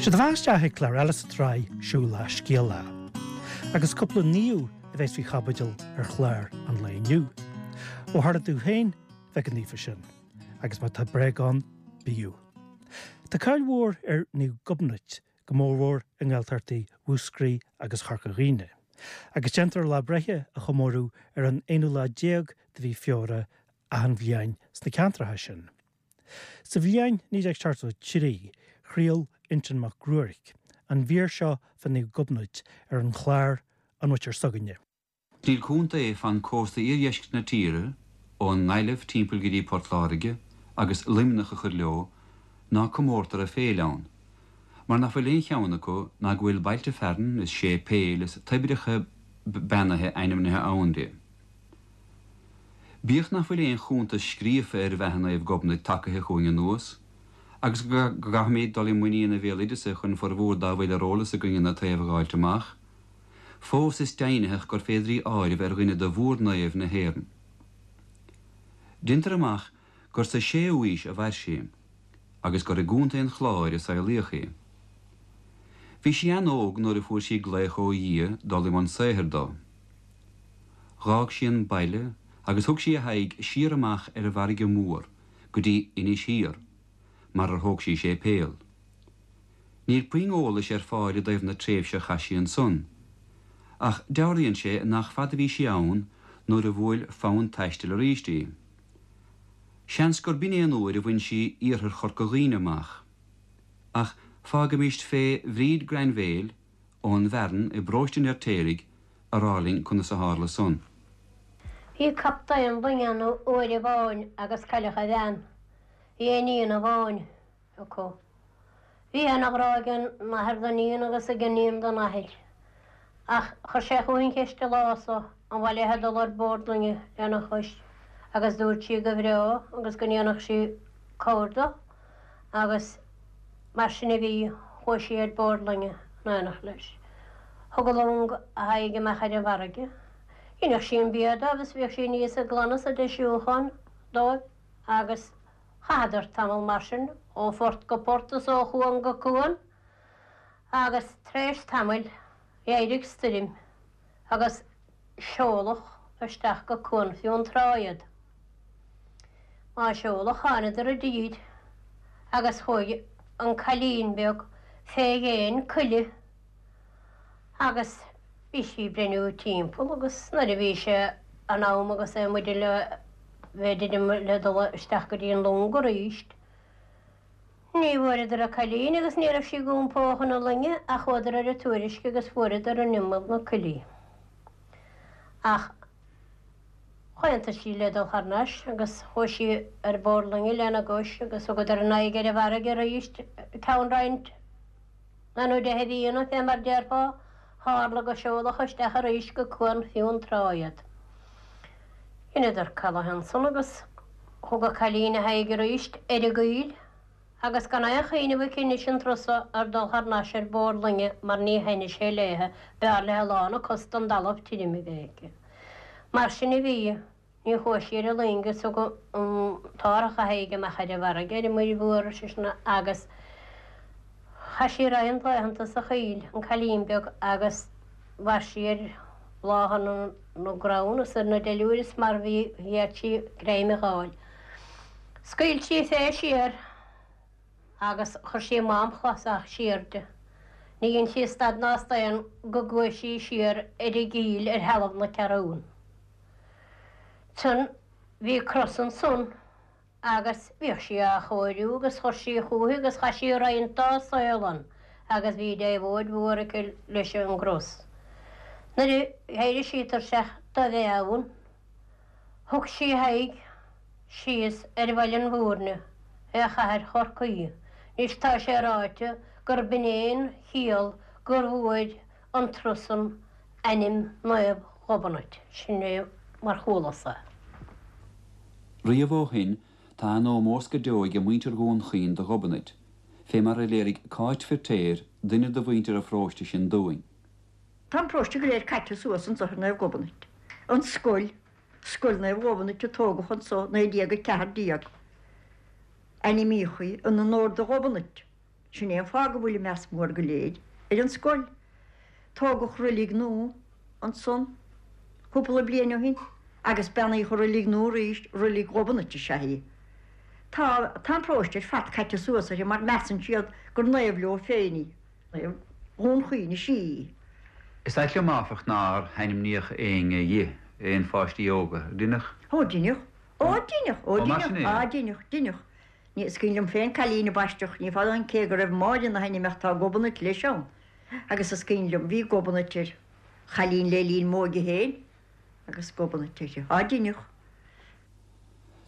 Sé do bheatha isteach ag clár eile sa tsraith Siúlach Scéalach. Agus cúpla naomh a bheas faoi chaibidil ar chlár an lae inniu. Ó tharla tú féin bheith chomh naofa sin, agus má tá bréag ann, bíodh. Tá cáil mhór ar Naomh Gobnait, go mórmhór i nGaeltachtaí Mhúscraí agus Chorca Dhuibhne, agus déantar a lá breithe a chomóradh ar an aonú lá déag de mhí Feabhra achan bhliain sna ceantracha sin. Sa bhliain 1973, chraol Uinseann Mac Ruairc an mhír seo fá Naomh Gobnait ar an chlár An Mhuintir S'againne. Níl contae fan cósta iardheiscirt na tíre, ón nGaillimh timpeall go dtí Port Láirge, agus Luimneach a chur leo, ná comórtar a féile ann, mar nach bhfuil aon cheann acu ná go bhfuil bailte fearainn is séipéil is toibreacha beannaithe ainmnithe ann di. Bíodh nach bhfuil aon chuntas scríofa ar bheatha Naomh Gobnait tagaithe chugainn anuas, agus go gcaithfimid dul i muinín an bhéaloideasa chun formhór dá bhfuil ar eolas againn ina taobh a dh'fháilt amach, Fós is deimhnitheach gur féidir í áireamh ar dhuine de mhór-naoimh na hÉireann. Deintear amach gur sa séú aois a mhair sí, agus gur i gContae an Chláir a saolaíodh í. Bhí sí an-óg nuair a fuair sí glaoch ó Dhia dul i mbun saothair dó. Dh'fhág sí an baile agus thug sí a haghaidh siar amach ar an bhfarraige mhór go dtí Inis Thiar, mar ar thóg sí séipéal. Níl puinn eolais ar fáil i dtaobh na tréimhse a chaith sí ansan, ach dealraíonn sé nach fada a bhí sí ann nuair a bhuail fonn taistil arís í. Seans gur b'in é an uair a bhain sí iarthar Chorca Dhuibhne amach. Ach fágaimíst fé Bhríd Grainbhéil ón bhFearann i bparóiste an Fheirtéaraigh a rá linn conas a tharla san. Bhí captaen loinge ann uair amháin agus cailleadh a bhean. Bhí iníon amháin. acu. Bhí ana-ghrá ag an athair don iníon agus ag an iníon don athair. Ach chuir sé chúithi an cheist an lá so, an mhaith léithe dul ar bord loinge lena chois, agus dúirt sí go bhreá agus go ndéanfadh sí cabhair dó, agus mar sin a bhí, chuaigh sí ar bord loinge in éineacht leis. Thug an long a haghaidh amach ar an bhfarraige. Dheineadh sí an bia dóibh is bhíodh sí aníos ag glanadh is ag deisiúchán dóibh agus Chaitheadar tamall mar sin, ó phort go port is ó chuan go cuan, agus tar éis tamaill d'éirigh stoirm agus seoladh isteach go Cuan Fionntrá iad. Má seoladh thánadar i dtír agus chuaigh an cailín beag fé dhéin coille agus bhí sí ag breithniú timpeall agus nuair a bhí sé in am agus é amuigh le bheith druidim le dul isteach go dtí an long arís, ní bhfuaireadar an cailín agus ní raibh sí ag iompó chun na loinge ach chuadar ar an tuairisc agus fuaireadar in imeall na coille í. Ach chomhaontaigh sí le dul thar n-ais agus chuaigh sí ar bord loinge lena gcois agus thugadar a n-aghaidh ar an bhfarraige arís ceann roinnt Naoi nó deich mhíonna, fé mar déarfá, tharla go seoladh isteach arís go Cuan Fionntrá iad. Dheineadar calath ansan agus thug an cailín a haghaidh arís ar an gcoill agus gan aon chuimhneamh aici anois an turas so ar dul thar n-ais ar bord loinge mar ní thaitnigh sé léithe, b'fhearr léithe lán a cos den dtalamh tirim a bheith aici. Mar sin a bhí. Ní chuaigh sí ar an loing is thug an t-árthach a haghaidh amach ar an bhfarraige, ar an muir mhór, ar seisean, agus chaith sí roinnt laethanta sa choill, an cailín beag, agus mhair sí ar bhláthanna na gcrann is ar na duilliúir is mar bhí d'fhéad sí greim a dh'fháil. Scaoil sí fé siar agus chuir sí mám clasach siar di. Ní dhein sí stad ná staon go gcuaigh sí siar ar an gcoill ar thalamh na Ceathrún. Ansan bhí cros ansan agus bhíodh sí á chóiriú agus chuir sí chúithi agus chaith sí roinnt dá saol ann agus bhí déabhóid mhór aici leis an gcros. Nuair a d'éirigh sí tuirseach do bheith ann, thug sí a haghaidh síos ar Bhaile an Mhúirne, ar chathair Chorcaí. Anois tá sé ráite gur b'in é an chiall gur bhfuair an turas san ainm Naomh Ghobnait, sin é mar chualas-sa. Riamh ó shin tá an-ómós go deo age muintir Dhún Chaoin do Ghobnait, fé mar a léirigh Cáit Firtéar, duine de mhuintir an pharóiste sin dúinn. Tá an paróiste go léir caite suas anso ar Naomh Gobnait. An scoil, Scoil Naomh Ghobnait a tógadh anso 1914. Ainmníodh í in onóir do Ghobnait. Sin é an fáth go bhfuil an meas mór go léir ar an scoil. Tógadh roilig nua ansan cúpla bliain ó shin agus beannaíodh an roilig nua arís, roilig Ghobnait is ea í. Tá, tá an paróiste ar fad caite suas uirthi mar measann siad gur naomh leo féin í. Naomh Dhún Chaoin is ea í. Is ait liom áfach nár hainmníodh éinne dhi, aon pháistí óga. Deineadh? Ó deineadh. Ó deineadh. Ó Ó mar sin deineadh. é. Á deineadh, deineadh. Ní, is cuimhin liom féin cailín a baisteadh, ní fada ó shin cé go raibh Máire ina hainm ach tá Gobnait leis ann. Agus is cuimhin liom, bhí Gobnait ar chailín le linn m'óige féin agus Gobnait uirthi. Á deineadh.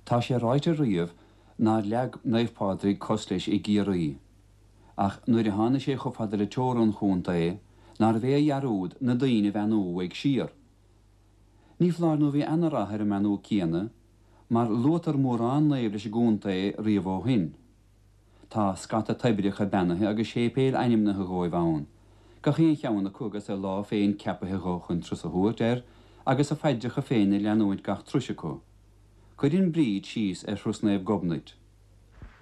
Tá sé ráite riamh nár leag Naomh Pádraig cos leis i gCiarraí. Ach nuair a tháinig sé chomh fada le teorainn an chontae, nárbh é a dhearúd na daoine a bheannú uaidh siar. Ní foláir nó bhí ana-rath ar an mbeannú céanna, mar luaitear mórán naomh leis an gcontae riamh ó shin. Tá scata toibreacha beannaithe agus séipéil ainmnithe dhóibh ann, gach aon cheann acu agus a lá féin ceapaithe dho chun turas a thabhairt air agus a phaidreacha féin ag leanúint gach turais acu. Cuireann Bríd síos ar thuras Naomh Gobnait.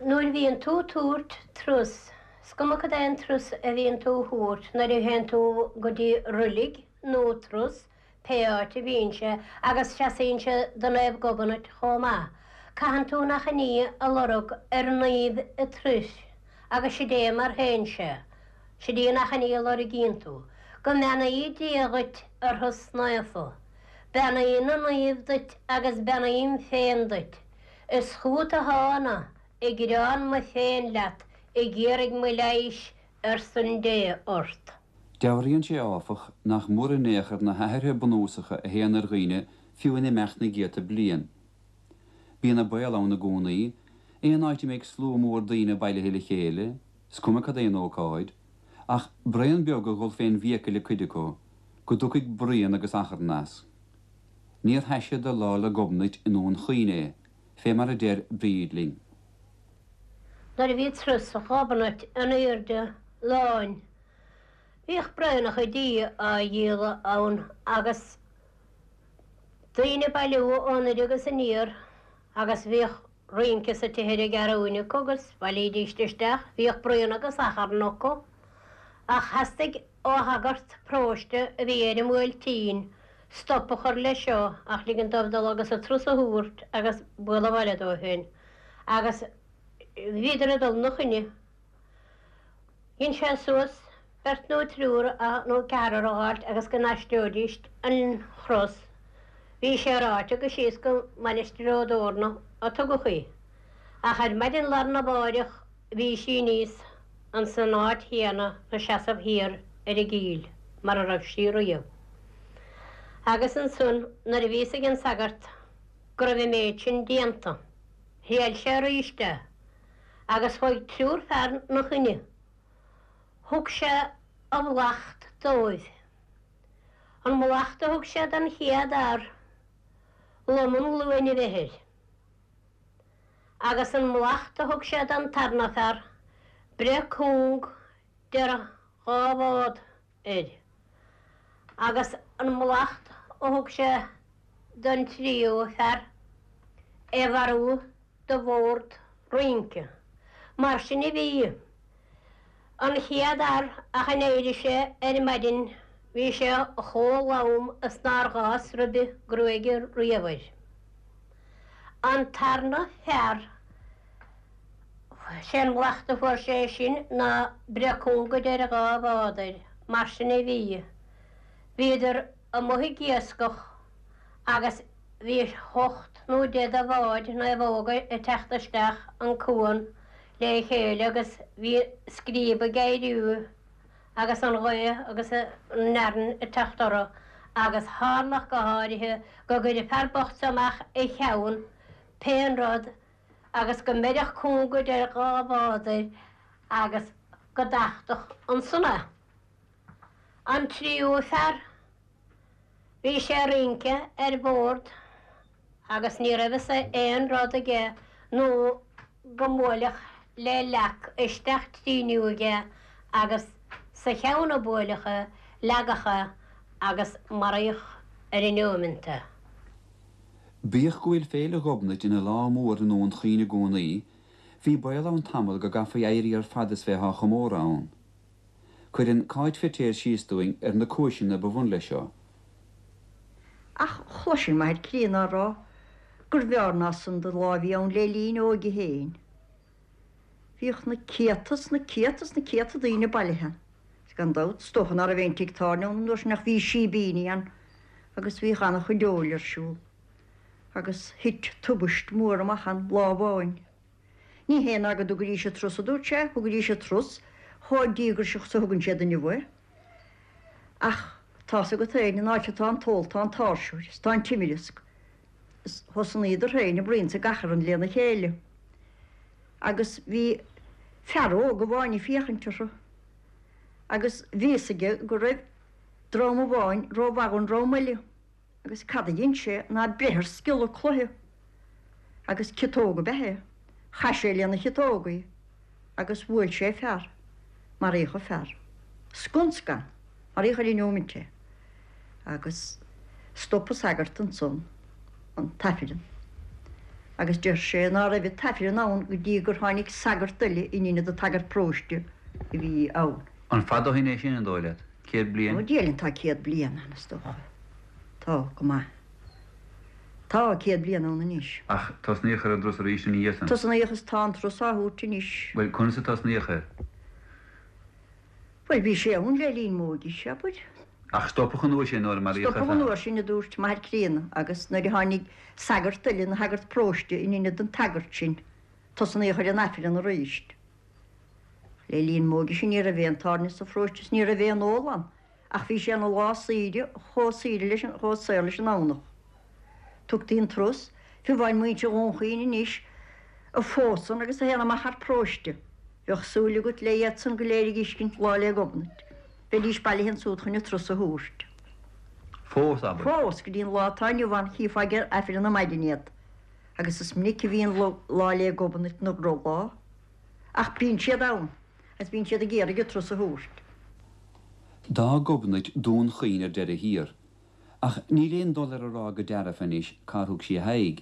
Nuair a bhíonn tú tabhairt turas, 's cuma cad é an turas a bhíonn tú a thabhairt, nuair a théann tú go dtí roilig nó turas, pé áit a bhíonn sé, agus seasaíonn sé do Naomh Gobnait chomh maith. Caitheann tú an achainí a lorg ar naomh an turais agus sid é mar théann sé. Sid í an achainí a lorgaíonn tú. Go mbeannaí Dia dhuit a thuras naofa. Beannaí na naomh duit agus beannaím féin duit. Is chugat a thána ag gearán mo phéin leat ag iarraidh mo leighis ar son Dé ort. Dealraíonn sé, áfach, nach mór in aon chor na hathruithe bunúsacha a théann ar dhaoine fiú in imeacht na gcéadta bliain. Bíonn an baol ann i gcónaí, aon áit a mbeidh slua mór daoine bailithe le chéile, is cuma cad é an ócáid, ach braon beag a dhul fén bhfiacail ag cuid acu, go dtiocfaidh bruíon agus achrann as. Níor thaise do Lá 'le Gobnait i nDún Chaoin é, fé mar a deir Bríd linn. Nuair a bhí turas Ghobnait in airde láin, bhíodh braonacha dí á dhíol ann agus daoine ag bailiú ó anoir agus aniar agus bhíodh rince sa tithe ar an gCeathrúin acu agus bhailídíst isteach, bhíodh bruíon agus achrann acu. Ach theastaigh ó shagart paróiste a bhí ar an mBuailtín stop a chur leis seo ach ligean dóibh dul agus an turas a thabhairt agus bualadh abhaile dóibh féin. Agus bhíodar ag dul 'na choinne. Dhein sé suas beirt nó triúr nó ceathrar a dh'fháilt agus go n-aistreoidíst an chros. Bhí sé ráite gur síos go Mainistir Ó dTorna a tugadh í. Ach ar maidin lá arna mháireach bhí sí aníos ins an áit chéanna 'na seasamh thiar ar an gcill mar a raibh sí riamh. Agus ansan nuair a bhí fhios ag an sagart go raibh an méid sin déanta, thriail sé aríst é. Agus chuaigh triúr fear 'na choinne. Thug sé a mhallacht dóibh. An mallacht a thug sé don chéad fhear, lom an ghlúin a bheith air. Agus an mallacht a thug sé don tarna fear, breith cúng idir dhá bhád air. Agus an mallacht a thug sé don tríú fear, é mharú de bhord rince. Mar sin a bhí. An chéad fhear ach a n-éirigh sé ar maidin bhí sé chomh lom is nár dh'fhás ribe gruaige riamh air. An tarna fear, sé an mhallacht a fuair sé sin ná breith cúng idir dhá bhád air. Mar sin a bhí. Bhíodar amuigh ag iascach agus bhí hocht nó deich de bháid naomhóga ag teacht isteach an cuan le chéile agus bhí scríob ag éiriú agus an ghaoth agus an fhearthainn ag teacht orthu agus tharlach go háirithe go gcuireadh fear bocht seo amach a cheann pén rud agus go mbeireadh cúng idir dhá bhád air agus go dtachtadh ansan é. An tríú fear Bhí sé ag rince ar bord agus ní raibh fhios aon rud aige nó go mbuailfeadh le leac isteach trí aige agus sa cheann a buaileadh é, leagadh é agus maraíodh ar an neoimeant é. Bíodh go bhfuil Féile Ghobnait ina lá mór i nDún Chaoin i gcónaí, Bhí baol ann tamall go gcaithfí éirí ar fad as bheith á chomóradh ann. Cuireann Cáit Feiritéar síos dúinn ar na cúiseanna ba bhun leis seo. Ach chloisinn m'athair críonna á rá gurbh fhearr ná san do lá a bhí ann le linn a óige féin. Bhíodh na céadta is na céadta is na céadta daoine bailithe ann. Is gan dabht, is dócha ná raibh aon tigh tábhairne ann an uair sin ach bhí síbíní ann agus bhíodh an-chuid óil ar siúl. Agus thit tubaist mhór amach ann lá amháin. Ní hé ná go dtugaidís an trus, a dúirt sé, thugaidís an trus chomh díograiseach is a thugann siad inniu é. Ach tá's agat féin, an áit atá an t-ól tá an t-áirseoir, is tá an t-imreasc. Is thosnaíodar féin ag bruíon is ag achrann lena chéile. Agus bhí fear óg amháin ag féachaint orthu agus bhí fhios aige go raibh dream amháin rómhaith dhon dream eile. Agus cad a dhein sé ná breith ar sciolla cloiche, agus ciotóg ab ea é. Chaith sé lena chiotóg í, agus bhuail sé fear. Maraíodh an fear. Scun scan. Maraíodh ar an neomant é. Agus stop an sagart ansan an t-aifreann, agus deir sé ná raibh an t-aifreann ann go dtí gur tháinig sagart eile in inead an tsagairt paróiste a bhí ann. An fada ó shin é sin, an dóigh leat? 100 bliain? Ó, Dia linn, tá 100 bliain ann, is dócha. Tá, go maith. Tá 100 bliain ann anois. Ach tosnaíodh ar an dturas arís ina dhiaidh san? Tosnaíodh is tá an turas á thabhairt anois. Bhuel, conas a tosnaíodh air? Bhuel, bhí sé ann le linn m'óige-se, abair. Ach stopadh an uair sin nuair a maraíodh an fear? Stopadh an uair sin, a dúirt m'athair críonna, agus nuair a tháinig sagart eile ina shagart paróiste in inead an tsagairt sin, tosnaíodh ar an Aifreann arís. Le linn m'óige-se ní raibh aon tábhairne sa pharóiste is ní raibh aon ól ann ach bhí sé ina lá saoire chomh saoire leis an chomh saor leis an Domhnach. Tugtaí an turas, fiú amháin muintir Dhún Chaoin anois a phósann agus a théann amach thar paróiste, bheadh súil agat le iad san go léir a dh'fheiscint Lá 'le Gobnait. Bheidís bailithe ansúd chun an turas a thabhairt. Fós, abair. Fós, go dtí an lá atá inniu ann chífeá ag Aifreann ar maidin iad. Agus is minic a bhíonn Lá 'le Gobnait ina dhrochlá. Ach bíonn siad ann, agus bíonn siad ag iarraidh an turas a thabhairt. D'fhág Gobnait Dún Chaoin ar deireadh thiar, ach níl aon dul ar a rá go dearfa anois cár thug sí a haghaidh.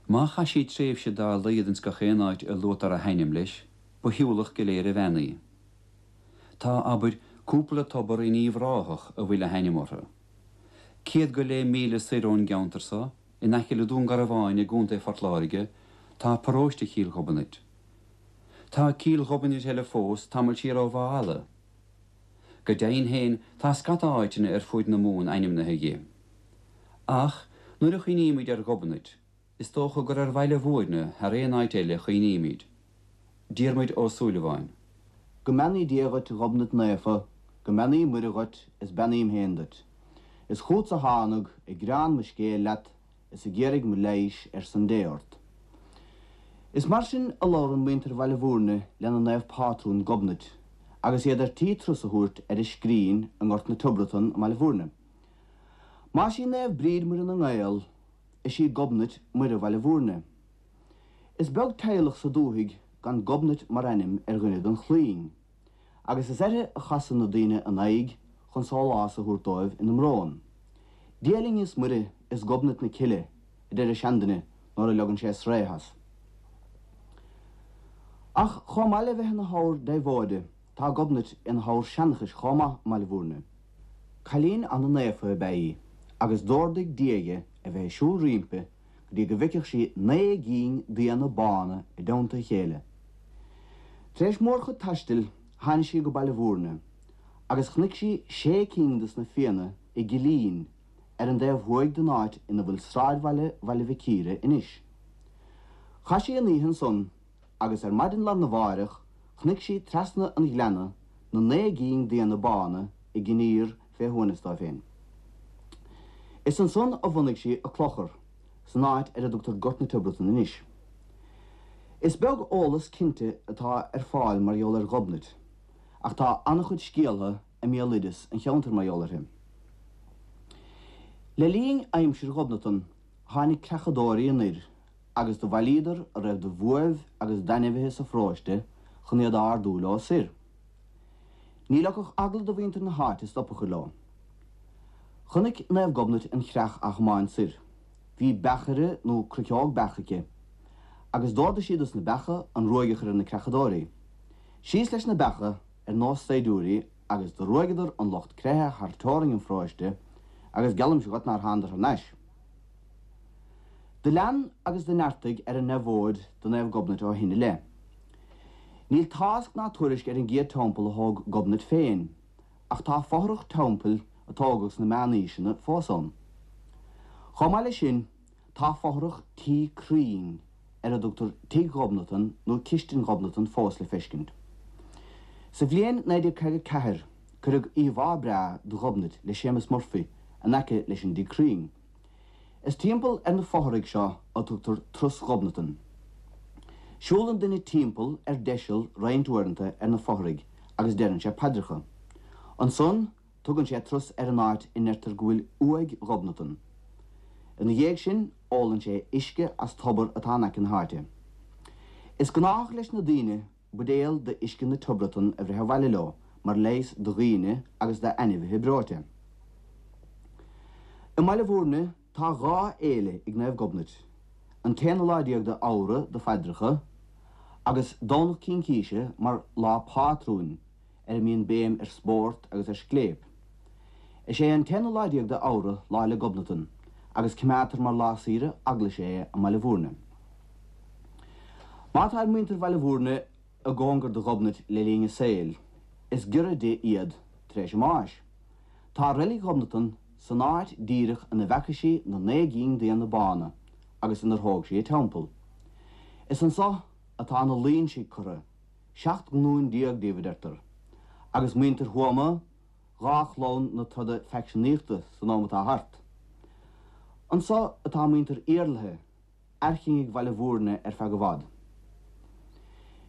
Má chaith sí tréimhse dá laghad ins gach aon áit a luaitear a hainm leis, ba shiúlach go léir a bhean í. Tá, abair, cúpla tobar in Uíbh Ráthach a bhfuil a hainm orthu. 100 go leith míle soir ón gceantar so, In aice le Dún Garbháin i gContae Phort Láirge tá paróiste Chill Ghobnait. Tá Cill Ghobnait eile fós tamall siar ó Mhaigh Eala. Go deimhin féin tá scata áiteanna ar fuaid na Mumhan ainmnithe dhi. Ach nuair a chuimhnímid ar Ghobnait, is dócha gur ar Bhaile Mhúirne thar aon áit eile a chuimhnímid. Diarmuid Ó Súilleabháin. Go mbeannaí Dia dhuit a Ghobnait Naofa, go mbeannaí Muire dhuit is beannaím féin duit. Is chútsa thánag ag gearán mo scéil leat is ag iarraidh mo leighis ar son Dé ort. Is mar sin a labhrann muintir Bhaile Mhúirne lena naomh pátrún Gobnait agus iad ar tí turas a thabhairt ar a scrín i nGort na Tiobratan i mBaile Mhúirne. Más í Naomh Bríd Muire na nGael, is í Gobnait Muire Bhaile Mhúirne. Is beag teaghlach sa dúthaigh gan Gobnait mar ainm ar dhuine den chlainn, agus is uirthi a chasann na daoine a n-aghaidh chun sólás a thabhairt dóibh ina mbrón. Dia linn is Muire is Gobnait na Cille, a deir an seanduine nuair a leogann sé sraoth as. Ach chomh maith le bheith ina hábhar deabhóide, tá Gobnait ina hábhar seanchais chomh maith i mBaile Mhúirne. Cailín ana-naofa ab ea í, agus d'órdaigh Dia dhi a bheith ag siúl roimpi go dtí go bhfeicfeadh sí 9 gcinn d'éanna bána i dteannta a chéile. Tar éis mórchuid taistil tháinig sí go Baile Mhúirne agus chonaic sí sé cinn de sna Fianna i gcillín ar an dtaobh thuaidh den áit ina bhfuil sráidbhaile Bhaile Mhic Íre anois. Chaith sí an oíche ansan agus ar maidin lá arna mháireach chonaic sí trasna an ghleanna na 9 gcinn d'éanna bána ag iníor fé shuaimhneas dóibh féin. Is ansan a bhunaigh sí a clochar, san áit ar a dtugtar Gort na Tiobratan anois. Is beag eolas cinnte atá ar fáil mar gheall ar Ghobnait, ach tá an-chuid scéaltha i mbéaloideas an cheantair mar gheall uirthi. Le linn aimsir Ghobnatan tháinig creachadóirí anoir agus do bhailíodar a raibh de bhuaibh agus d'ainmhithe sa pharóiste chun iad a ardú leo soir. Ní leogfadh eagla do mhuintir na háite stop a chur leo. Chonaic Naomh Gobnait an chreach á thiomáint soir. Bhí beachaire nó cruiceog beach aici. Agus d'ordaigh sí dos na beacha an ruaig a chur ar na creachadóirí. Síos leis na beacha ar nós saighdiúirí agus do ruaigeadar an lucht creiche thar teorainn an pharóiste agus geallaimse dhuit nár thánadar thar n-ais. Do lean agus do neartaigh ar an ndeabhóid do Naomh Gobnait ó shin i leith. Níl tásc ná tuairisc ar an gcéad teampall a thóg Gobnait féin, ach tá fothrach teampaill a tógadh sna meánaoiseanna fós ann. Chomh maith leis sin, tá fothrach tí crainn ar a dtugtar Tigh Ghobnatan nó Cistin Ghobnatan fós le feiscint. Sa bhliain 1954 cuireadh íomhá breá de Ghobnait le Séamus Murphy in aice leis an dtigh crainn. Is timpeall ar na fothraigh seo a tugtar Turas Ghobnatan. Siúlann duine timpeall ar deiseal roinnt uaireanta ar na fothraigh agus deireann sé paidreacha. Ansan tugann sé turas ar an áit a ndeirtear go bhfuil uaigh Ghobnatan. Ina dhiaidh sin ólann sé uisce as tobar atá in aice na háite. Is gnách leis na daoine buidéal d'uisce na Tiobratan a bhreith abhaile leo mar leigheas do dhaoine agus d'ainmhithe breoite. I mBaile Bhúirne tá dhá fhéile ag Naomh Gobnait, an t-aonú lá déag de Fheabhra do phaidreacha agus Domhnach Cincíse mar lá pátrúin ar a mbíonn béim ar spórt agus ar scléip. Is é an t-aonú lá déag de Fheabhra Lá 'le Gobnatan agus coimeádtar mar lá saoire eaglaise é i mBaile Bhúirne. Má tá ar muintir Bhaile Bhúirne i gcóngar do Ghobnait le linn a saoil, is giorra di iad tar éis a mbáis. Tá reilig Ghobnatan san áit díreach ina bhfeaca sí na naoi gcinn d'éanna bána agus inar thóg sí a teampall. Is anso atá na Loingsigh curtha, 17 nglúin díobh a deirtear, agus muintir Thuama, dhá chlann na troda faicseanaíochta san am atá thart. Anso atá muintir Iarlaithe, Airchinnigh Bhaile Bhúirne ar feadh i bhfad.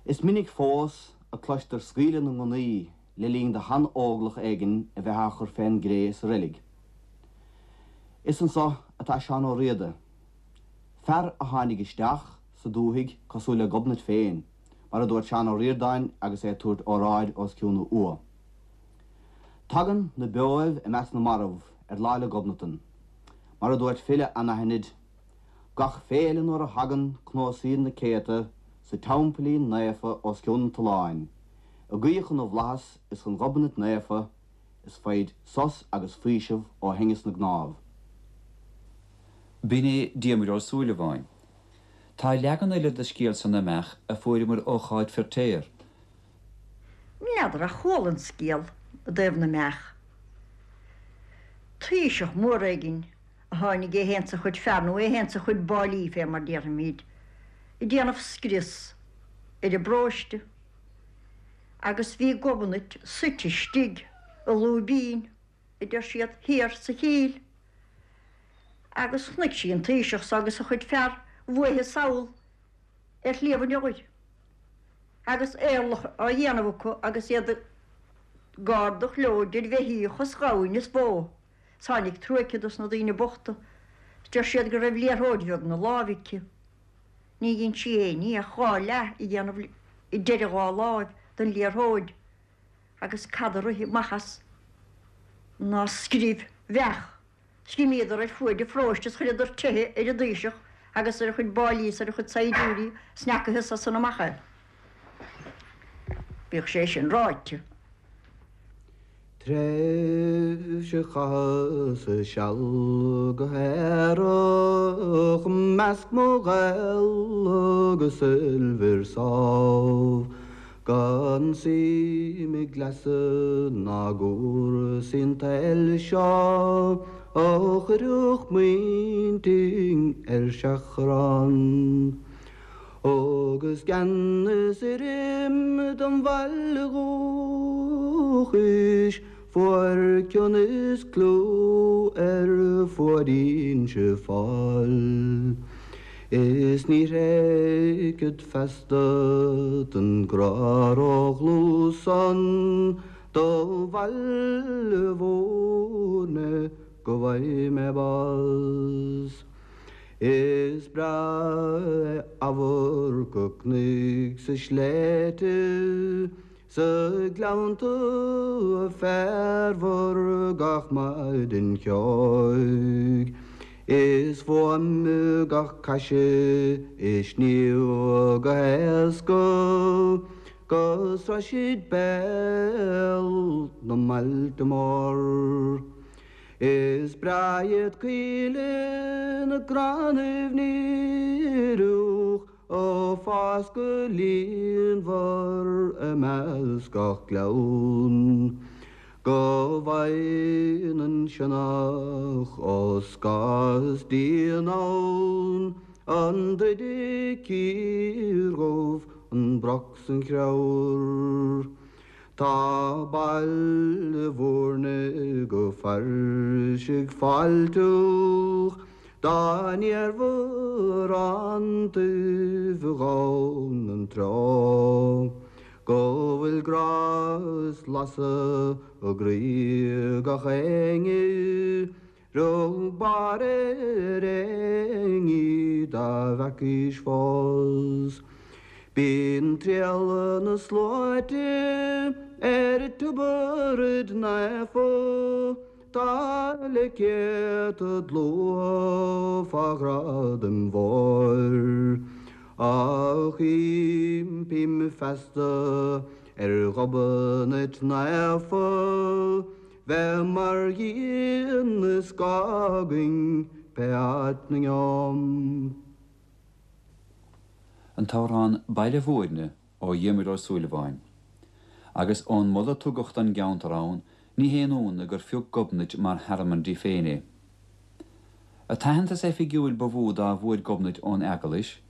Is minic fós a cloistear scaoileadh na ngunnaí le linn do shean-óglach éigin a bheith á chur fén gcré sa reilig. Is anso atá Seán Ó Riada, fear a tháinig isteach sa dúthaigh cosúil le Gobnait féin, mar a dúirt Seán Ó Ríordáin agus é ag tabhairt óráid os cionn a ua. Tagann na beoibh i measc na marbh ar Lá 'le Gobnatan. Mar a dúirt file anaithnid, Gach féile nuair a thagann cnuasaíonn na céadta sa teampaillín naofa os cionn an tolláin, ag guí chun na bhflaitheas is chun Ghobnait naofa is faighid sos agus faoiseamh ó thinneas na gcnámh. B'in é Diarmuid Ó Súilleabháin. Tá leagan eile de scéal seo na mbeach a fuaireamar ó Cháit Feirtéar. N'fheadar ach chuala an scéal i dtaobh na mbeach. Taoiseach mór éigin a tháinig é fhéin 's a chuid fear, nó é fhéin 's a chuid báillí fé mar déarfaimíd, ag déanamh scrios ar an bparóiste agus bhí Gobnait suite istigh i lúibín, a deir siad, thiar sa chill. Agus chonaic sí an taoiseach so agus a chuid fear uaithi sall ar Shliabh an Iolair agus éirleach á dhéanamh acu agus iad ag ardach leo idir bheithíoch is ghamhain is bó. 'S tháinig trua aici dos na daoine bochta. 'S deir siad go raibh liathróid bheag 'na láimh aici. Ní dhein sí aon ní ach dhá leath a dhéanamh i deireadh dhá láimh den liathróid agus cad a rith amach as ná screamh bheach. 'S d'imíodar ar fuaid an pharóiste is chuireadar teitheadh ar an dtaoiseach agus ar a chuid báillí is ar a chuid saighdiúirí 's n'fheacathas as san amach é. Bíodh sé sin ráite. Tréimhse chaitheas seal go haerach 'measc mo ghaol agus oilbhir sámh, Gan suim i gcleasa ná gcúrsaí an tsaoil seo a chuirfeadh m'intinn ar seachrán. Agus gan fhios ar im dom bhaile dhúchais, fuair cion is clú ar fuaid Inse Fáil. Is ní thréigfead feasta don grá ródhlúth san do Bhaile Bhúirne go bhfaighidh mé bás. Is breá é amharc an chnoic 's na sléibhte 's na gleannta féarmhar gach maidin cheoigh. Is fuaim gach caise a shníomh go héasca go sroisfid béal na mbailte mór. Is breá iad coillte na gcrannaibh ndíreach a' fás go líonmhar i measc gach gleann. Go bhfaighinn an sionnach ó scáth is díon ann, an druidfidh cíor dhubh, an broc 's an chreabhar. Tá Baile Mhúirne go fairsing fáilteach dá n-iarrfair an taobh dhonn an treo go bhfuil grá is lasadh i gcroí gach éinne. Rug barr ar éinní dá bhfeacaís fós. Bíonn triall na sluaite ar Tiobraid Naofa, tá le céadta dlúth fá ghradaim mhóir. Ach impím feasta ar Ghobnait Naofa, Bheith mar dhíon is scáth againn pé áit 'na ngeobham. An t-amhrán Baile Mhúirne ó Dhiarmuid Ó Súilleabháin. Agus ón moladh a tugadh don gceantar ann, ní haon ionadh gur phioc Gobnait mar thearmann di féin é. An t-aitheantas oifigiúil ba mhó dá bhfuair Gobnait ón Eaglais,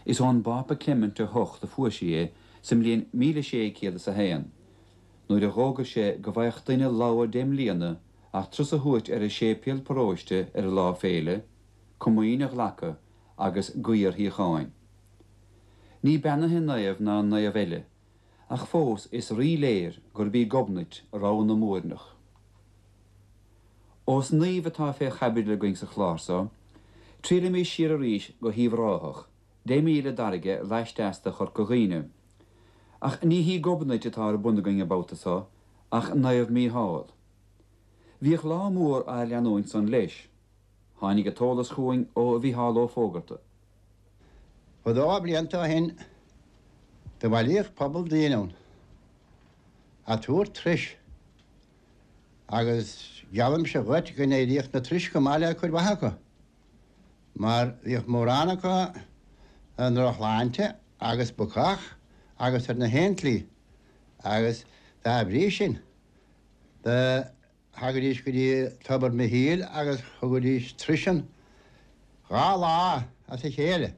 is ón bPápa Clement 8 a fuair sí é sa mbliain 1601. nuair a dh'fhógair sé go bhfaigheadh duine logha deich mbliana ach turas a thabhairt ar an séipéal paróiste ar a lá féile, comaoin a ghlacadh agus guí ar shíocháin. Ní beannaithe naomh ná naomh eile, ach fós is rí-léir gurb í Gobnait rogha na Múirneach. Ós naoimh atá fé chaibidil againn sa chlár so, triallaimís siar arís go hUíbh Ráthach, 10 míle d'fharraige laisteas de Chorca Dhuibhne. Ach ní hí Gobnait atá ar bun againn an babhta so, ach Naomh Mícheál. Bhíodh lá mór á leanúint san leis. Tháinig an t-eolas chugainn ó Mhícheál Ó Fógarta. Fadó blianta ó shin do bhailíodh pobal daoine ann a' tabhairt turais agus geallaimse dhuit go n-éiríodh na turais go maith le cuid mhaith acu. mar bhíodh mórán acu i ndrochshláinte agus bacach agus ar na haon tslí agus dá bhrí sin do thagaidís go dtí Tobar Mhichíl agus thugaidís turais ann dha lá as a chéile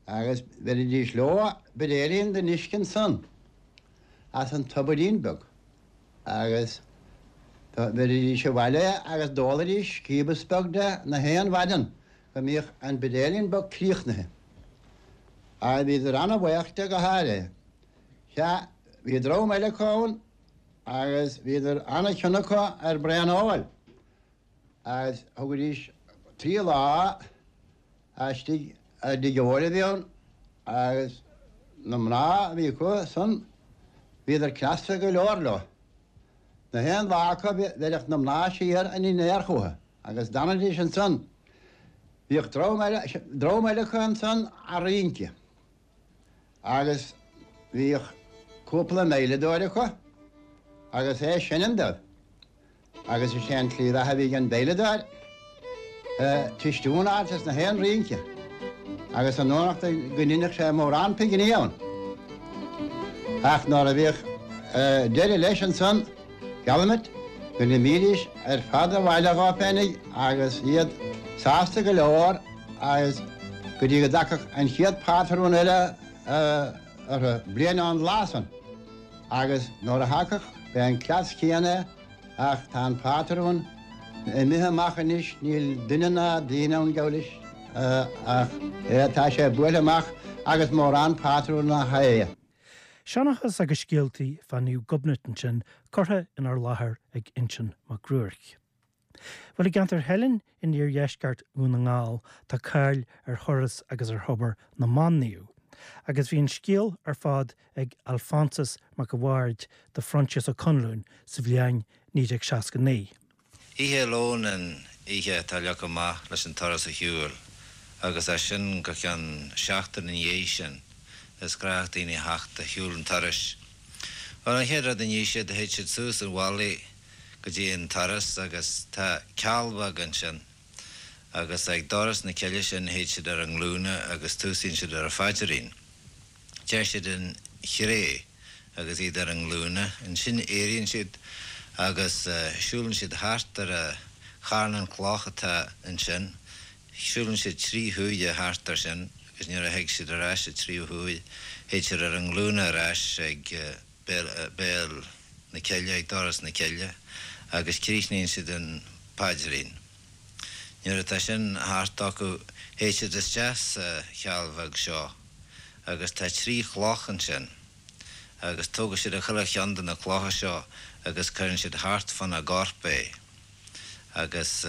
agus bheiridís leo buidéilín den uisce ansan as an tobairín beag. Agus do bheiridís abhaile é agus d'ólaidís cíobas beag de na haon mhaidean go mbíodh an buidéilín beag críochnaithe. Agus bhíodar ana-bhaoch de go háirithe. Sea, bhí dream eile acu ann agus bhíodar ana-chion acu ar braon óil. Agus thugaidís trí lá istigh i dtigh óil a bhí ann agus na mná a bhí acu san bhíodar cneasta go leor leo. Na haon lá acu bheireadh na mná siar an dinnéar chucu agus d'fhanaidís ansan. Bhíodh dream eile, dream eile acu ansan a' rince agus bhíodh cúpla veidhleadóir acu agus é ag seinm dóibh. Agus is é an tslí bheatha a bhí ag an veidhleadóir, cistiún a fháilt as na haon rince, agus an fhanacht go ndeineadh sé mórán pinginí ann. Ach nuair a bhíodh deireadh leis ansan, geallaim duit go n-imídís ar fad abhaile dhóibh féinig agus iad sásta go leor agus go dtí go dtagfadh an chéad phátrún eile orthu, bliain ón lá san. Agus nuair a thagadh, b'é an cleas céanna é, ach tá an pátrún imithe amach anois, níl duine ná daoine ann, geall leis, ach é, tá sé buailthe amach agus mórán pátrún nach é. Seanchas agus scéaltaí fá Naomh Gobnait ansin curtha inár láthair ag Uinseann Mac Ruairc. Bhuel, i gceantar Theilinn in iardheisceart Dhún na nGall tá cáil ar thuras agus ar thobar na mBan-Naomh. Agus bhí an scéal ar fad ag Alphonsus Mac a' Bhaird do Phroinsias Ó Conluain sa bhliain 1969. Oíche Luain an oíche atá leagtha amach leis an turas a shiúl agus as sin go ceann seachtain ina dhiaidh sin is gnách daoine a theacht a shiúl an turais. Bhuel, an chéad rud a ní siad, théid siad suas an mhullaigh go dtí an turas agus tá ceall bheag ansin agus ag doras na cille sin théid siad ar a nglúine agus túsaíonn siad ar a phaidrín. Deir siad an Chré agus iad ar a nglúine. Ansin éiríonn siad agus siúlann siad thart ar a charnán cloch atá ansin. Siúlann siad trí huaire thart ar sin agus nuair a thig siad ar ais an tríú huair théid siad ar a nglúine ar ais ag béal na cille, ag doras na cille agus críochnaíonn siad an paidrín. Nuair atá sin thart acu théid siad isteach sa cheall bheag seo agus tá trí chloch ansin agus tógann siad chuile cheann de na clocha seo agus cuireann siad thart fána gcorp é agus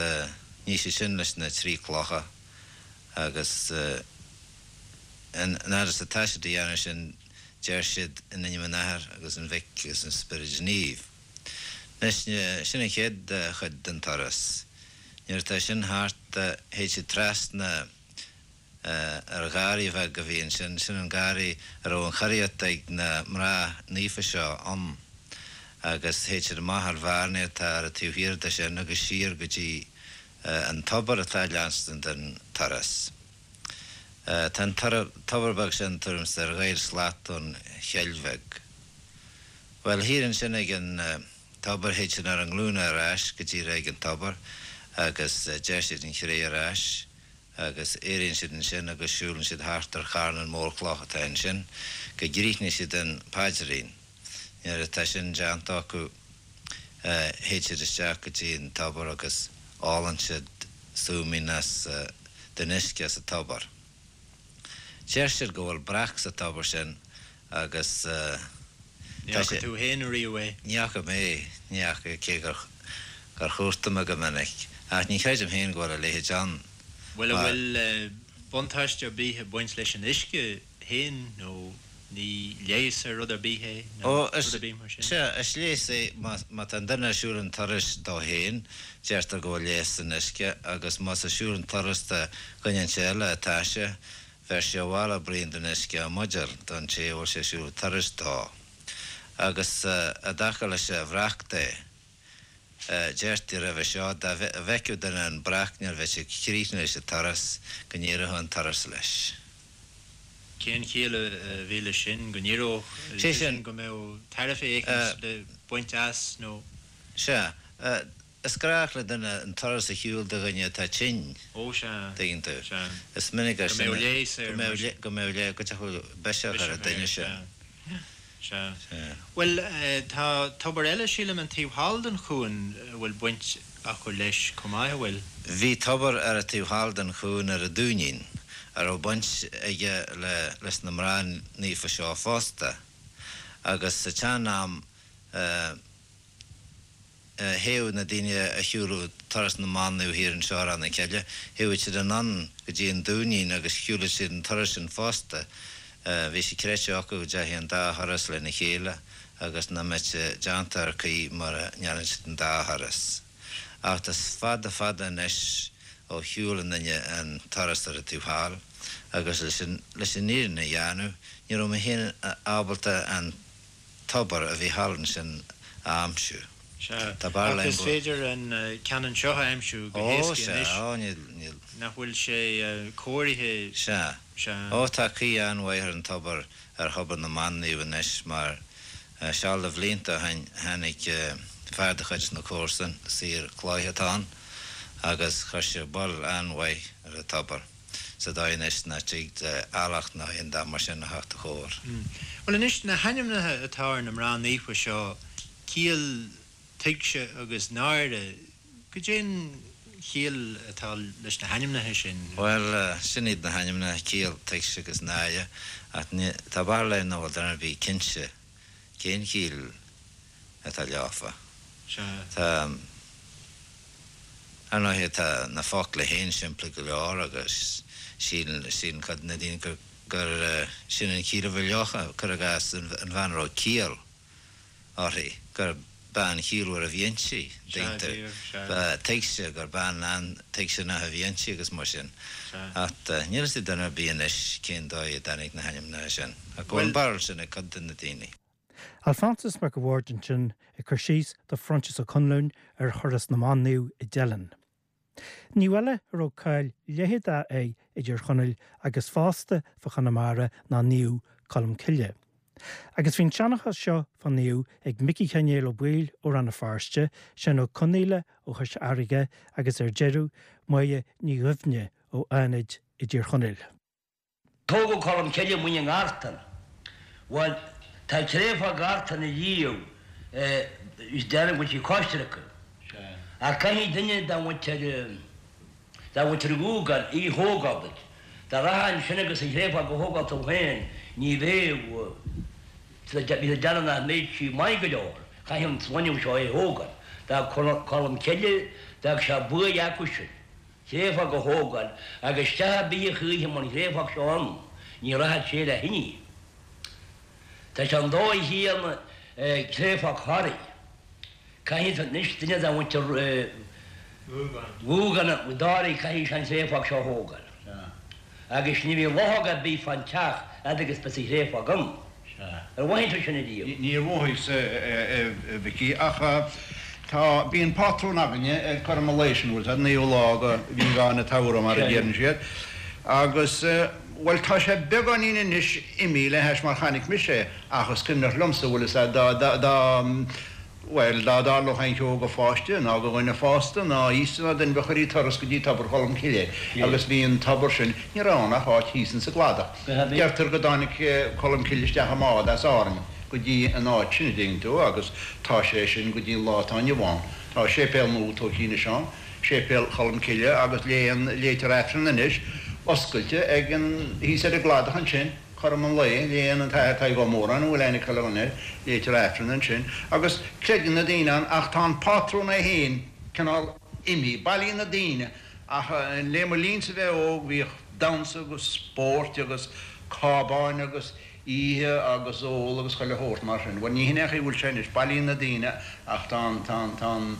ní siad sin leis na trí clocha agus an fhad is atá siad a dhéanamh sin deir siad in ainm an Athar agus an Mhic agus an Spioraid Naoimh. Anois sin an chéad chuid den turas. Nuair atá sin thart théid siad trasna ar gharraí bheag a bhí ansin, sin an garraí a raibh an churaíocht ag na mná naofa seo ann agus théid siad amach ar bhearnaí atá ar an taobh thiar de sin agus siar go dtí an tobar atá ag leanstan den turas. Tá an tobar beag sin tuairim 's ar ghair slat ón chill bheag. Bhuel, thiar ansin ag an tobar théid siad ar a nglúine ar ais go díreach ag an tobar agus deir siad an Chré ar ais agus éiríonn siad ansin agus siúlann siad thart ar charnán mór cloch atá ansin go gcríochnaíonn siad an paidrín. Nuair atá sin déanta acu théid siad isteach go dtí an tobar agus ólann siad súimín as den uisce as an tobar. Deir siad go bhfuil breac sa tobar sin agus Ní tá fhaca sé. tú fhéin ariamh é? Ní fhaca mé, ní fhaca, cé gur gur chuartaigh mé go minic. Ach ní chreidim féin go bhfuil a leithéid ann. Bhuel, an bhfuil buntáiste ar bith ag baint leis an uisce féin nó ní leigheas ar rud ar bith é nó Ó, is, rud ar bith mar sin? sea, is leigheas é má, má tá an duine ag siúl an turais dó féin, deirtear go bhfuil leigheas san uisce agus más ag siúl an turas do dhuine inteacht eile atá sé, bheir sé abhaile braon den uisce i mbuidéal don té a bhfuil sé ag siúl an turais dó. Agus i dtaca leis an bhreac de, Deirtí roimhe seo, dá bhfeicfeadh duine an breac nuair a bheadh sé críochnaithe leis an turas, go n-éireodh an turas leis. Cén chiall a bhí leis sin, go n-éireodh, sé sin go mbeadh tairbhe éicint le baint as nó? Sea. Is gnách le duine an turas a shiúl do dhuine atá tinn. Ó sea. Tuigeann tú. Sea. Is minic gur sin. Go mbeadh leigheas air mar sin. Go mbeadh leigheas, go dtiocfadh biseach ar an duine sin. Sea. Sea. Bhuel, tá tobar eile, sílim, an taobh thall den chuan a bhfuil baint acu leis chomh maith, a bhfuil? Bhí tobar ar an taobh thall den chuan ar an Dúinín a raibh baint aige le leis na mná naofa seo fosta. Agus sa tsean-am, Théadh na daoine a shiúladh turas na mban naomh thiar anseo ar Ráth na Cille, théadh siad anonn go dtí an Dúinín agus shiúladh siad an turas sin fosta. Bhí sé creidte acu go dteachaidh an dá thuras lena chéile agus nach mbeadh sé déanta ar chaoi mura ndéanann siad an dá thuras. Ach is fada fada anois ó shiúil aon duine an turas ar an taobh thall agus leis an fhírinne a dhéanamh ní raibh mé féin ábalta an tobar a bhí thall ansin a aimsiú. Sea. Tá Ach is féidir an ceann anseo a aimsiú go héasca anois. Ó, sea, ó, níl, níl. Nach bhfuil sé cóirithe? Sea. Sea. Ó, tá caoi an-mhaith ar an tobar, ar thobar na mban naomh anois mar seal de bhlianta ó shin tháinig fear de chuid na comharsan, saor cloiche atá ann, agus chuir sé bail an-mhaith ar an tobar. sa dóigh anois nach dtig le eallach ná aon dath mar sin a theacht a chóir. Bhuel anois, na hainmneacha atá ar na mná naofa seo, Ciall, Tuigse agus Náire, goidé'n chiall atá leis na hainmneacha sin? Bhuel, sin iad na hainmneacha, Ciall, Tuigse agus Náire, ach tá barúil agam nach bhfuil duine ar bith cinnte cén chiall atá leofa. Sea. Tá, ar ndóighe, tá na focla féin simplí go leor agus síleann, síleann cuid de na daoine gur, gur sin an chiall a bhí leofa, cuir i gcás, an bhean a raibh ciall uirthi, gur. bean chiallmhar a bhí inti, dtuigeann tú. Ba tuigse gur bean an-tuigseanach a bhí inti agus mar sin. Ach níl a fhios ag duine ar bith anois cén dóigh a dtáinig na hainmneacha sin. Ach go bhfuil an barúil sin ag cuid de na daoine. Alphonsus Mac a' Bhaird ansin ag cur síos do Phroinsias Ó Conluain ar thuras na mban naomh i dTeileann. Naomh eile a raibh cáil leitheadach air i dTír Chonaill agus fosta fá Chonamara ná Naomh Colm Cille. Agus bhí an seanchas seo fán naomh ag Micí Chenéil Ó Baoill ó Rann na Feirste, Seán Ó Conaola ó Chois Fharraige agus ar deireadh, Máire Ní Dhuibhne ó Fhánaid i dTír Chonaill. Tógadh Colm Cille amuigh i nGartán. Bhuel, tá créafóg Ghartán ariamh is déarfainn go bhfuil sí coisricthe. Ach caithfidh duine dá mhuintir, dá mhuintir Ghúgáin í thógáil duit. Dá rachfá ansin agus an chréafóg a thógáil tú féin, ní bheadh, bhí siad ag déanamh nach mbeadh sí maith go leor. Caithfidh an sloinneadh seo é thógáil. D'fhág Colm Cille, d'fhág sé buaidh acu sin. Créafóg a thógáil, agus teach ar bith a chuaigh i mbun chréafóg seo ann, ní rachadh sé le thine. Tá sé an dóigh chéanna créafóg Thoraí. Caithfidh anois duine de mhuintir Ghúgáin i dToraigh, caithfidh sé an chréafóg seo a thógáil. Agus ní bheidh luchóg ar bith fán teach fhad agus beidh an chréafóg ann. Ar mhothaigh tú sin ariamh? Níor mhothaíos, a Mhicí, ach tá, bíonn pátrún againne ar cothrom an lae sin, bhfuil 's a'd, naoú lá de mhí Mheán an tsamhraidh mar a deireann siad, agus, bhuel, tá sé beagáinín anois imithe le hais mar chonaic mise é, ach is cuimhneach liomsa, bhfuil 'fhios a'd, dá, dá, dá, Bhuel, dá dtarlódh aon cheo go pháiste, ná go dhuine fásta, ná aosta ná duine, chuirtí turas go dtí Tobar Cholm Cille, agus bhí an tobar sin, ní raibh ann ach áit thíos insa gcladach. Deirtear go dtáinig Colm Cille isteach i mbád as Árainn go dtí an áit sin, a dtuigeann tú, agus tá sé sin go dtí an lá atá inniu ann. Tá séipéal nua tógtha anois ann, Séipéal Cholm Cille, agus léann, léitear Aifreann anois, oscailte ag an, thíos ar an gcladach ansin. Cothrom an lae, léann an tAthair Tadhg Ó Móráin, an bhfuil aithne ag chuile dhuine air, léitear Aifreann ansin, agus creideann na daoine ann, ach tá an pátrún é féin cineál imithe. Bailíonn na daoine, ach le mo linnse a bheith óg, bhíodh damhsa agus spóirt agus cábáin agus ithe agus ól agus chuile shórt mar sin. Bhuel, ní hin é an chaoi a bhfuil sé anois, bailíonn na daoine ach tá an, tá an, tá an,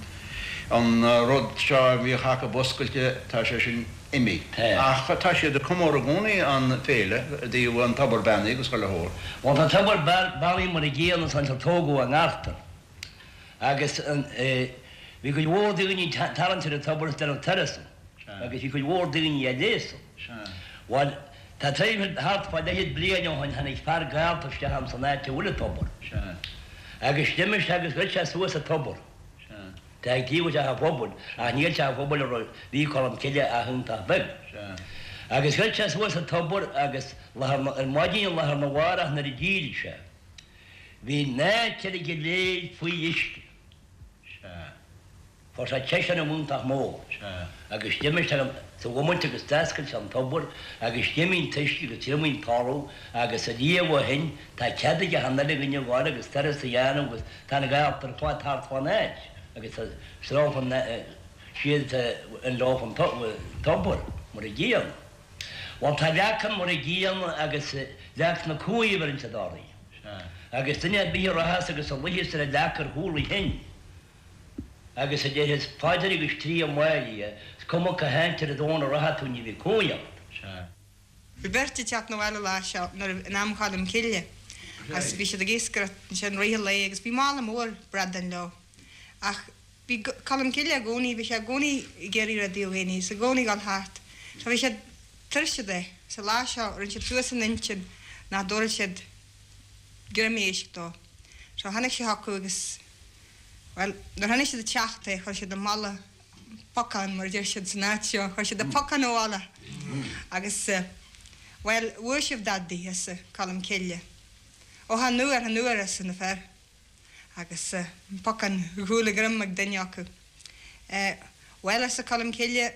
an rud seo a bhíodh acu oscailte, tá sé sin. imithe. Ach tá siad ag comóradh i gcónaí an féile i dtaobh an tobar beannaithe agus chuile shórt. Bhuel tá tobar beannaithe mar a gcéanna san áit ar tógadh i nGartan agus bhí cuid mhór daoine ag tarraingt ar an tobar is déanamh turas ann agus bhí cuid mhór daoine á leigheas ann. Bhuel tá tréimhse thart fá leithid bliain ó shin tháinig fear gallta isteach ann san áit a bhfuil an tobar agus d'imigh sé agus ghoid sé suas an tobar. Tá ag taobh teach an phobail, ach níl teach an phobail a raibh, bhí Colm Cille ach iontach beag. Agus ghoid sé suas an tobar agus lá ar, ar maidin lá arna mhárach nuair a d'éirigh sé, bhí an áit uilig go léir faoi uisce. Fuair sé ciseán iontach mór. Agus d'imigh sé sa bhomaite agus d'fhoscail sé an tobar agus d'imigh an t-uisce agus thriomaigh an talamh agus ariamh ó shin tá cead ag achan uile dhuine a ghabháil agus turas a dhéanamh agus Tá na gaolta ar fad thart fán áit agus tá sreabhadh siad an leo an tobar mar a gcéanna. Bhuel tá leac ann mar a gcéanna agus leac na cumhaidhe a bheireann siad uirthi. Agus duine ar bith a rachas agus a luífeas ar an leac ar chúl a chinn agus a déarfas paidir agus triath Máire, is cuma cá háit ar domhan a rachaidh tú ní bheidh cumhaidh ort. Bhí beirt ag teacht 'na bhaile lá seo nuair in am Cholm Cille agus bhí siad ag iascaireacht ansin rith an lae agus bhí mála mór bradán leo. Ach bhí Colm Cille i gcónaí, bhí sé i gcónaí ag iarraidh rudaí ó dhaoine is i gcónaí ag dul thart. So bhí siad tuirseach de. Sa lá seo rinne siad suas a n-intinn nach dtabharfadh siad greim éisc dó. So tháinig sé chucu agus, bhuel, nuair a chonaic siad ag teacht é chuir siad an mála pocán, mar a deir siad san áit seo. Chuir siad an pocán i bhfolach agus, bhuel, bhfuair sibh dadaí, arsa Colm Cille. Ó chan fhuair, chan fhuair, arsa na fir. Agus an pocán ar chúl a dhroim ag duine acu. Bhuel, arsa Colm Cille,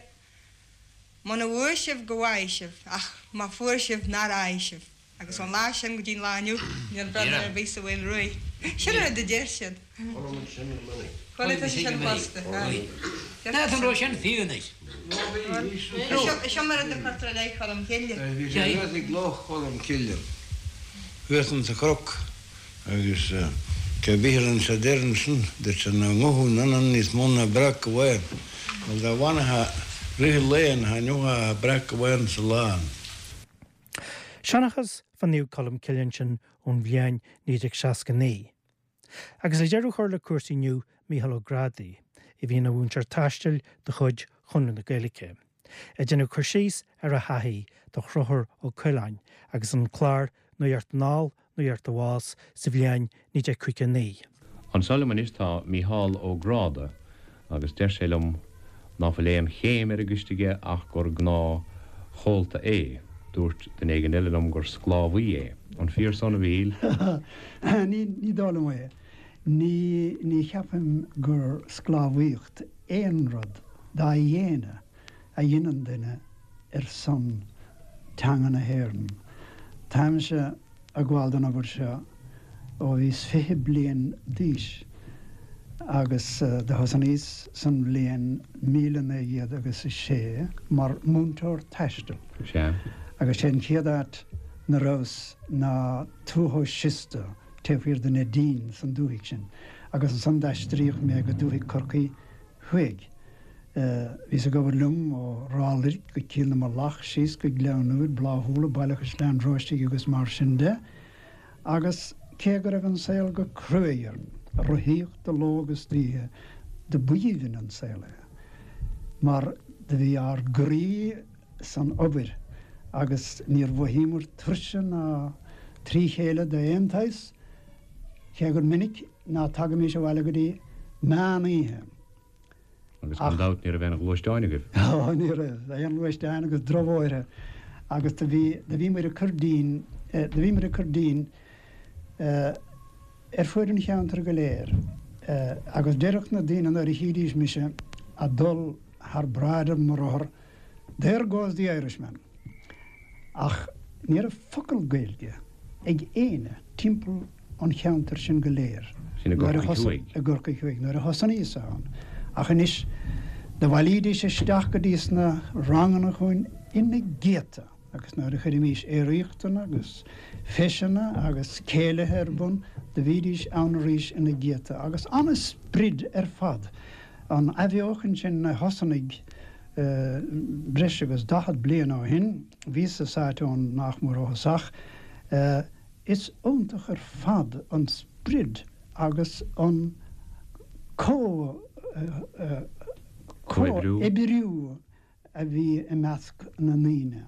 muna bhfuair sibh go bhfaighidh sibh, ach má fuair sibh nár fhaighe sibh. Agus ón lá sin go dtí an lá inniu, níl bradán ar bith sa Mhaoil Ruaidh. Sin an rud a deir siad. Chuala muid sin go minic. Chuala tusa sin fosta. N'fheadar an raibh sin fiú anois. Seo mar rud a chuirtear i leith Cholm Cille. Bhí sé thuas ag Loch Cholm Cille, thuas insa chnoc, agus. Cé bith a rinne sé deir ansin, dúirt sé ná nguthú ionann níos mó ná breac amháin. Bhuel dá bhfanfadh rith an lae ann, thaitneodh breac amháin sa lá ann. Seanchas fá Naomh Colm Cille ansin ón bhliain 1969. Agus le deireadh a chur le cúrsaí inniu, Mícheál Ó Grádaigh, a bhí ina mhúinteoir taistil de chuid Chonradh na Gaeilge, ag déanamh cur síos ar a thaithí de Chonchúr Ó Coileáin agus an clár Nuacht Anall, Nuacht Abhus sa bhliain 1959. Anseo liom anois tá Mícheál Ó Gráda agus deir sé liom ná fuil aon chéim ar an gcoiste aige ach gur gnáth chomhalta é. Dúirt duine éigin eile liom gur sclábhaí é. An fíor san, a Mhíchíl? Ní, ní dóigh liom é. Ní, ní cheapaim gur sclábhaíocht aon rud dá dhéine a dheineann duine ar son teanga na hÉireann. Táimse ag gabháil don obair seo ó bhíos 20 bliain d'aois agus do thosnaíos san bhliain 1900 agus a sé mar mhúinteoir taistil. Sea. Agus sé an chéad áit 'na rabhas ná Tuath Ó Siosta taobh thiar de Neidín san dúthaigh sin agus ansan d'aistríodh mé go dúthaigh Corcaí Thuaidh. Bhíos ag obair liom ó Ráth Luirg go Cill na Mullach, síos go Gleann Úir, Bláth Úlla, Baile Chaisleáin Róistigh agus mar sin de. Agus cé go raibh an saol go cruaidh orainn, rothaíocht de ló agus d'oíche, do b'aoibhinn an saol é. Mar do bhí ár gcroí san obair agus níor mhothaíomar tuirse ná trí chéile d'aon tsaghas, cé gur minic ná tagaimís abhaile go dtí meán oíche. Agus gan dabht ní raibh aon ghluaisteáin agaibh. Ó, ní raibh aon ghluaisteáin agus drochbhóithre agus do bhí, do bhí muid ag cur dínn, do bhí muid ag cur dínn ar fuaid an cheantair go léir agus deireadh na daoine nuair a chídís mise a' dul thar bráid ar mo rothar, There goes the Irishman! Ach ní raibh focal Gaeilge ag éinne timpeall an cheantair sin go léir. Sin i gCorcaigh Thuaidh. I gCorcaigh Thuaidh nuair a thosnaíos ann. Ach anois, do bhailídís isteach go dtí sna ranganna chugainn ina gcéadta agus nuair a chuirimís aeraíochtanna agus feiseanna agus céilithe ar bun, do bhídís ann arís ina gcéadta agus an-sprid ar fad. An athbheochan sin a thosnaigh breis agus 40 bliain ó shin, bhíos-sa sáite ann nach mór ó thosach, is iontach ar fad an sprid agus an comhoibriú a bhí i measc na ndaoine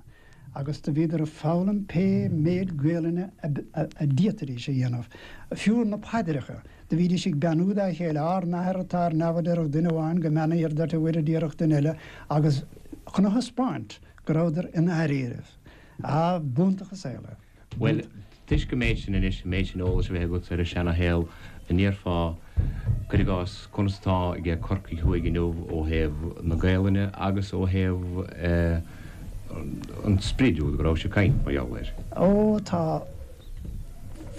agus do bhíodar ag foghlaim pé méid Gaelainne a d'fhéadfaidís a dhéanamh. Fiú na paidreacha, do bhídís ag beannú dá chéile, Ár nAthair atá ar neamh a déarfadh duine amháin, Go mbeannaíthear duit a Mhuire a déarfadh duine eile agus chun a thaispeáint go rabhadar i ndáiríribh. Ah, b'iontach an saol é. Bhuel, toisc an méid sin anois, an méid sin eolais a bheith agatsa ar an seana-shaol, an ndéarfá, cuir i gcás, conas atá aige Corcaigh Thuaidh inniu ó thaobh na Gaelainne agus ó thaobh an sprid úd go rabhais ag caint mar gheall air? Ó, tá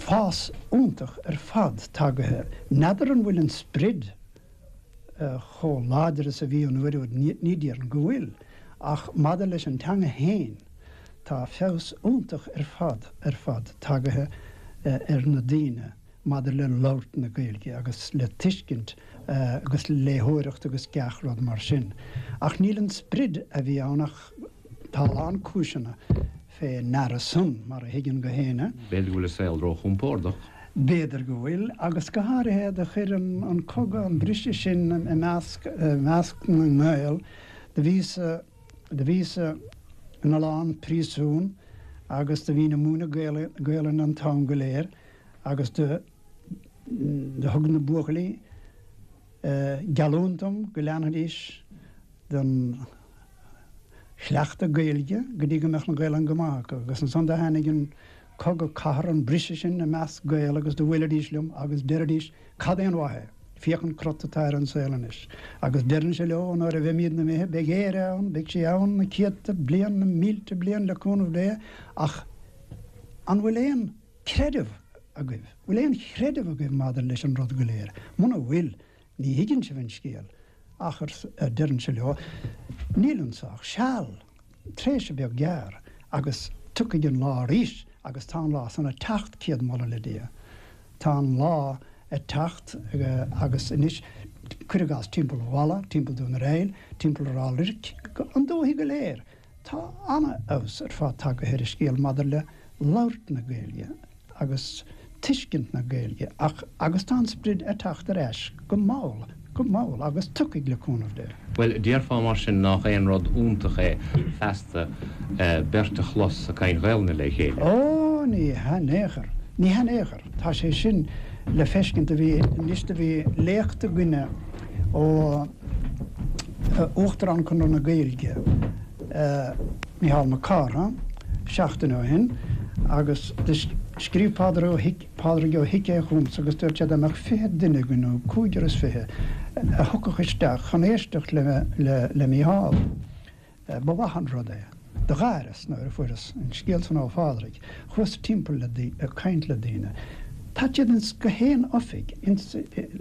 fás iontach ar fad tagaithe. N'fheadar an bhfuil an sprid chomh láidir is a bhí an uair úd, ní déarfainn go bhfuil, ach maidir leis an teanga fhéin, tá feabhas iontach ar fad, ar fad tagaithe ar na daoine maidir le labhairt na Gaeilge agus le tuiscint agus le léitheoireacht agus gach rud mar sin. Ach níl an sprid a bhí ann ach tá a lán cúiseanna fé ndeara san, mar a thuigeann gach éinne. B'fhéidir go bhfuil an saol róchompordach. B'fhéidir go bhfuil, agus go háirithe do chuir an cogadh an briseadh sin i measc, i measc na nGael. Do bhíos, do bhíos ina lán príosún agus do bhínn ag múineadh Gaelainne an t-am go léir agus do, do thug na buachaillí geallúint dom go leanfaidís den chleachtadh Gaeilge go dtí go mbeadh an Ghaelainn go maith acu. Agus ansan do tháinig an cogadh cathartha, an briseadh sin i measc Gael agus do bhuailidís liom agus deiridís cad é an mhaith é? Féach an crot atá ar an saol anois. Agus deirinnse leo nuair a bheimídne imithe beidh Éire ann, beidh sí ann na céadta bliain, na mílte bliain le cúnamh Dé ach an bhfuil aon creideamh agaibh? Bhfuil aon chreideamh agaibh maidir leis an rud go léir? Muna bhfuil, Ní thuigeann sibh an scéal, ach, a deirinnse leo, níl anso ach seal, tréimhse beag gearr, agus tiocfaidh an lá arís, agus tá an lá san ag teacht, céad moladh le Dia. Tá an lá. ag teacht agus anois, cuir i gcás timpeall Mhala, timpeall Dún ar Aill, timpeall Ráth Luirc, an dúthaigh go léir, tá an-fheabhas ar fad tagaithe ar an scéal maidir le labhairt na Gaeilge agus tuiscint na Gaeilge ach agus tá an sprid ag teacht ar ais go mall, go mall agus tiocfaidh le cúnamh Dé. Bhuel, déarfá mar sin nách aon rud iontach é feasta beirt a chlos ag caint Ghaelainne le chéile? Ó, ní hea in aon chor, ní hea in aon chor. Tá sé sin le feiscint. Do bhí, anois do bhí léacht againne ó Uachtarán Chonradh na Gaeilge, Mícheál Mac Cárthaigh, seachtain ó shin agus do scríobh Pádraig Ó Pádraig Ó hIceadha chugamsa agus dúirt sé dá mbeadh 20 duine againn nó cúigear is fiche a thiocfadh isteach chun éisteacht le Mícheál. Ba mhaith an rud é. Do gháireas nuair a fuaireas an scéal san ó Phádraig. Chuas timpeall le ag caint le daoine. Tá siad ins gach aon oifig, ins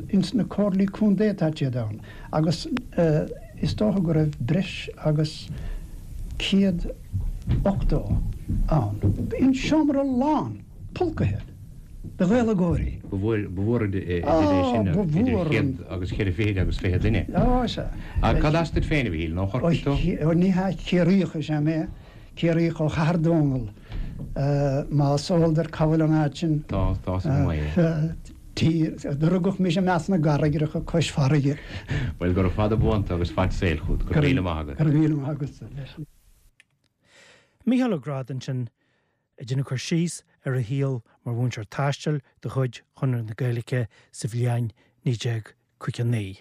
ins na comhairlí contae tá siad ann agus is dócha go raibh breis agus 180 ann. Bhí an seomra lán, pulcaithe de Ghaeilgeoirí. Ba mhór idir é sin, idir chéad agus cheithre fichid agus 20 duine. Ó, sea. Cad as duit féin, a Mhichíl, nó ó Chorcaigh tú? Ó, ní hea, Ciarraíoch is ea mé, Ciarraíoch ó Chathair Dónall, más eol duit cá bhfuil an áit sin. Tá, tá 's agam é. Tír, do rugadh mise i measc na gcarraigreacha cois farraige. Bhuel, gura fada buan tú agus fad saoil chút. Go raibh míle maith agat. Go raibh míle maith agatsa leis. Mícheál Ó Gráda ansin ag déanamh cur síos ar a shaol mar mhúinteoir taistil de chuid Chonradh na Gaeilge sa bhliain 1959.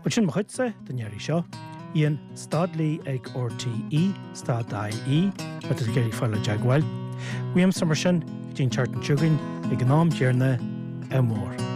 Bhuel, sin mo chuidse don iarraidh seo. Ian, stad lee ag RTÉ, stad IE, má tá tú ag iarraidh fáil i dteagmháil. Uaimse mar sin, go dtí an tseachtain seo chugainn, ag an am chéanna, ádh mór.